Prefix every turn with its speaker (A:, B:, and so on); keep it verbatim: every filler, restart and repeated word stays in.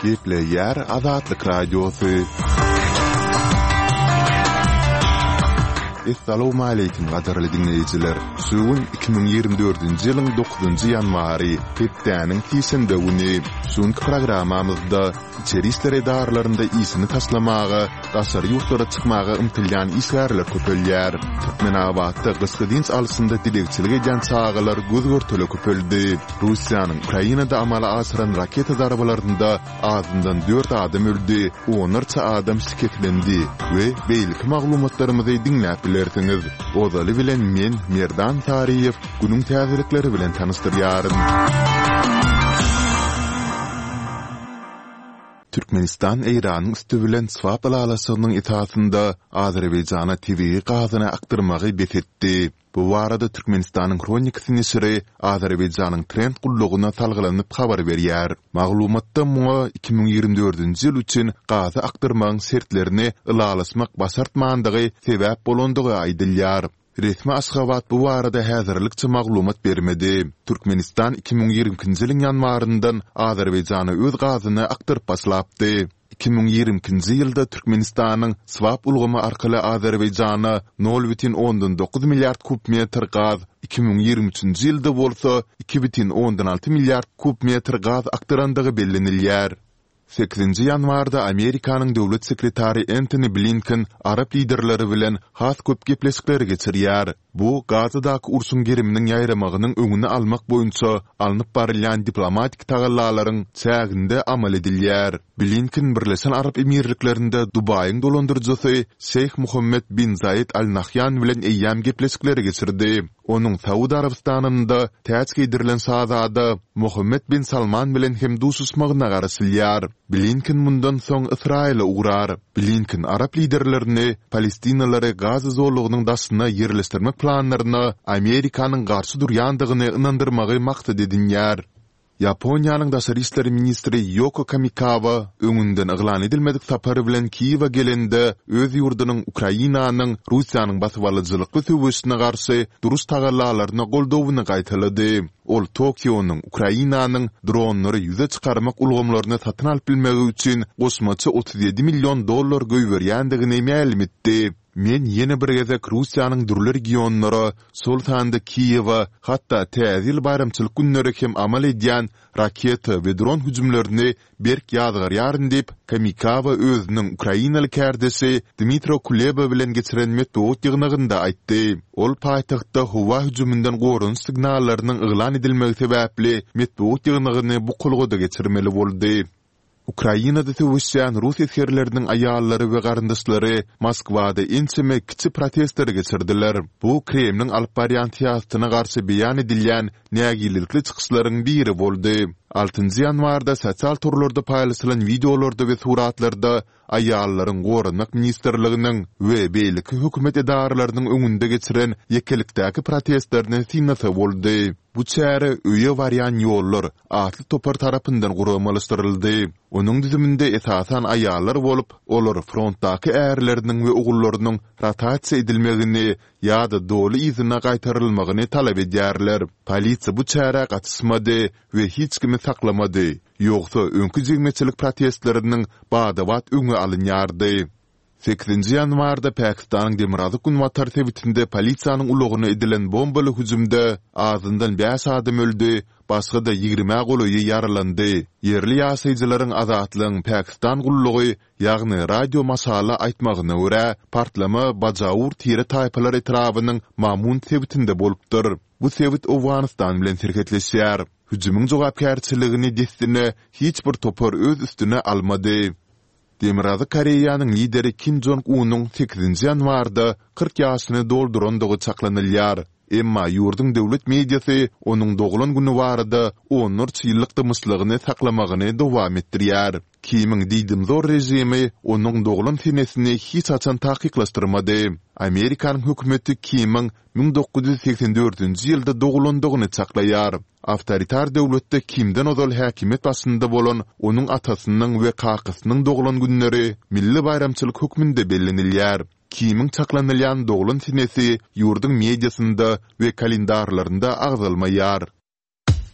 A: Gepleýär Azatlyk Radiosy. Essalawmaleýkim gadyrly diňleýjiler! Şu gün iki müň ýigrimi dördünji ýylyň dokuzynjy ýanwary, hepdäniň sişenbe güni. Şu günki programmamyzda içeri işler edaralarynda işini taşlamaga, daşary ýurtlara çykmaga ymtylýan işgärler köpelýär. Türkmenabatda gyşky dynç alşynda dilegçilik edýän çagalar göz-görtele köpeldi. Russiýanyň Ukrainada amala aşyran raketa zarbalarynda azyndan dört adam öldi, onlarça adam şikeslendi we beýleki maglumatlarymyzy diňläp bilersiňiz. Ozaly bilen men, Merdan Saryýew, günüň täzelikleri bilen tanyşdyrýaryn. Türkmenistan Eýranyň üsti bilen swap ylalaşygynyň esasynda Azerbaýjana tebigy gazyny akdyrmagy bes etdi. Bu barada Türkmenistanyň Hronikasy neşiri Azerbaýjanyň Trend gullugyna salgylanyp habar berýär. Maglumatda muňa iki müň ýigrimi dördünji ýyl üçin gazy akdyrmagyň şertlerini ylalaşmak başartmandygy sebäp bolandygy aýdylýar. Resmi Aşgabat bu barada häzirlikçe maglumat bermedi. Türkmenistan iki müň ýigrimi ikinji ýylyň ýanwaryndan Azerbaýjana öz gazyny akdyryp başlapdy. Iki müň ýigrimi ikinji ýylda Türkmenistanyň swap ulgamy arkaly Azerbaýjana nol bütin ondan dokuz milliard kub metr gaz, iki müň ýigrimi üçünji ýylda bolsa iki bütin ondan alty milliard kub metr gaz akdyrandygy bellenilýär. Sekizinji ýanwarda Amerikanyň döwlet sekretary Entoni Blinken arap liderleri bilen has köp gepleşikleri geçirýär. Bu Gazadaky urşuň geriminiň ýaýramagynyň öňüni almak boýunça alnyp barylýan diplomatik tagallalaryň çäginde amal edilýär. Blinken Birleşen Arap Emirliklerinde Dubaýyň dolandyryjysy Şeýh Muhammed bin Zaid Al Nahýan bilen eýýäm gepleşikleri geçirdi. Onuň Saud Arabystanynda täç geýdirilen şazada Mohammed bin Salman bilen hem duşuşmagyna garaşylýar. Blinken mundan soň Ysraýyla ugrar. Blinken arap liderlerini palestinalary Gaza zolagynyň daşyna ýerleşdirmek planlaryna Amerikanyň garşy durýandygyny ynandyrmagy maksat edinýär. Ýaponiýanyň daşary işler ministri Ýoko Kamikawa öňünden yglan edilmedik sapary bilen Kiýewe gelende, öz ýurdunyň Ukrainanyň Russiýanyň basybalyjylykly söweşine garşy duruş tagallalaryna goldawyny gaýtalady. Ol Tokionyň Ukrainanyň dronlary ýüze çykarmak ulgamlaryny satyn alyp bilmegi üçin goşmaça otuz ýedi million dollar goýberýändigini mälim etdi. Men ýene bir gezek Russiýanyň dürli regionlara, şol sanda Kiýewe, hatda Täze ýyl baýramçylyk günleri hem amal edýän raketa we dron hüjümlerini berk ýazgarýaryn diýip, Kamikawa özüniň ukrainaly kärdeşi Dmitro Kuleba bilen geçiren metbugat ýygnagynda aýtdy. Ol paýtagtda howa hüjüminden goranyş signallarynyň yglan edilmegi sebäpli metbugat ýygnagyny bukulgada geçirmeli boldy. Ukrainada söweşýän rus esgerleriniň aýallary we garyndaşlary Moskwada ençeme kiçi protestleri geçirdiler. Bu Kremliň alyp barýan syýasatyna garşy beýan edilýän nägilelikli çykyşlaryň biri boldy. Altynjy ýanwarda sosial torlarda paýlaşylan wideolarda we suratlarda aýallaryň Goranmak ministrliginiň we beýleki hökümet edaralarynyň öňünde geçiren ýekelikdäki protestlerini synlasa boldy. Bu çäre Öýe barýan ýollar atly topar tarapyndan guramalaşdyryldy. Onuň düzüminde esasan aýallar bolup, olar frontdaky ärleriniň we ogullarynyň rotasiýa edilmegini ýa-da doly yzyna gaýtarylmagyny talap edýärler. Polisiýa bu çärä gatyşmady we hiç kimi saklamady, ýogsa öňki jemgyýetçilik protestleriniň bada-bat öňi alynýardy. Sekizinji ýanwarda Pakistanyň demirgazyk-günbatar sebitinde polisiýanyň ulagyna edilen bombaly hüjümde azyndan bäş adam öldi, başga-da ýigrimä golaýy ýaralandy. Ýerli ýaşaýjylaryň Azatlygyň Pakistan gullugy, ýagny Radio Maşala aýtmagyna görä, partlama Bajaur tire-taýpalar etrabynyň Mamund sebitinde bolupdyr. Bu sebit Owganystan bilen serhetleşýär. Hüjümiň jogapkärçiligini dessine hiç bir topar öz üstüne almady. Demirgazyk Koreýanyň lideri Kim Jong Unyň sekizinji ýanwarda kyrk ýaşyny doldurandygy çaklanylýar. Emma ýurduň döwlet mediasy onuň doglan güni barada onlarça ýyllyk dymyşlygyny saklamagyny dowam etdirýär. Kimiň diýdimzor režimi onuň doglan senesini hiç haçan takyklaşdyrmady. Amerikanyň hökümeti Kimiň müň dokuz ýüz segsen dördünji ýylda dogulandygyny çaklaýar. Awtoritar döwletde Kimden ozal häkimiýet başynda bolan onuň atasynyň we kakasynyň doglan günleri milli baýramçylyk hökmünde bellenilýär. Kimiň çaklanylýan doglan senesi ýurduň mediasynda we kalendarlarynda agzalmaýar.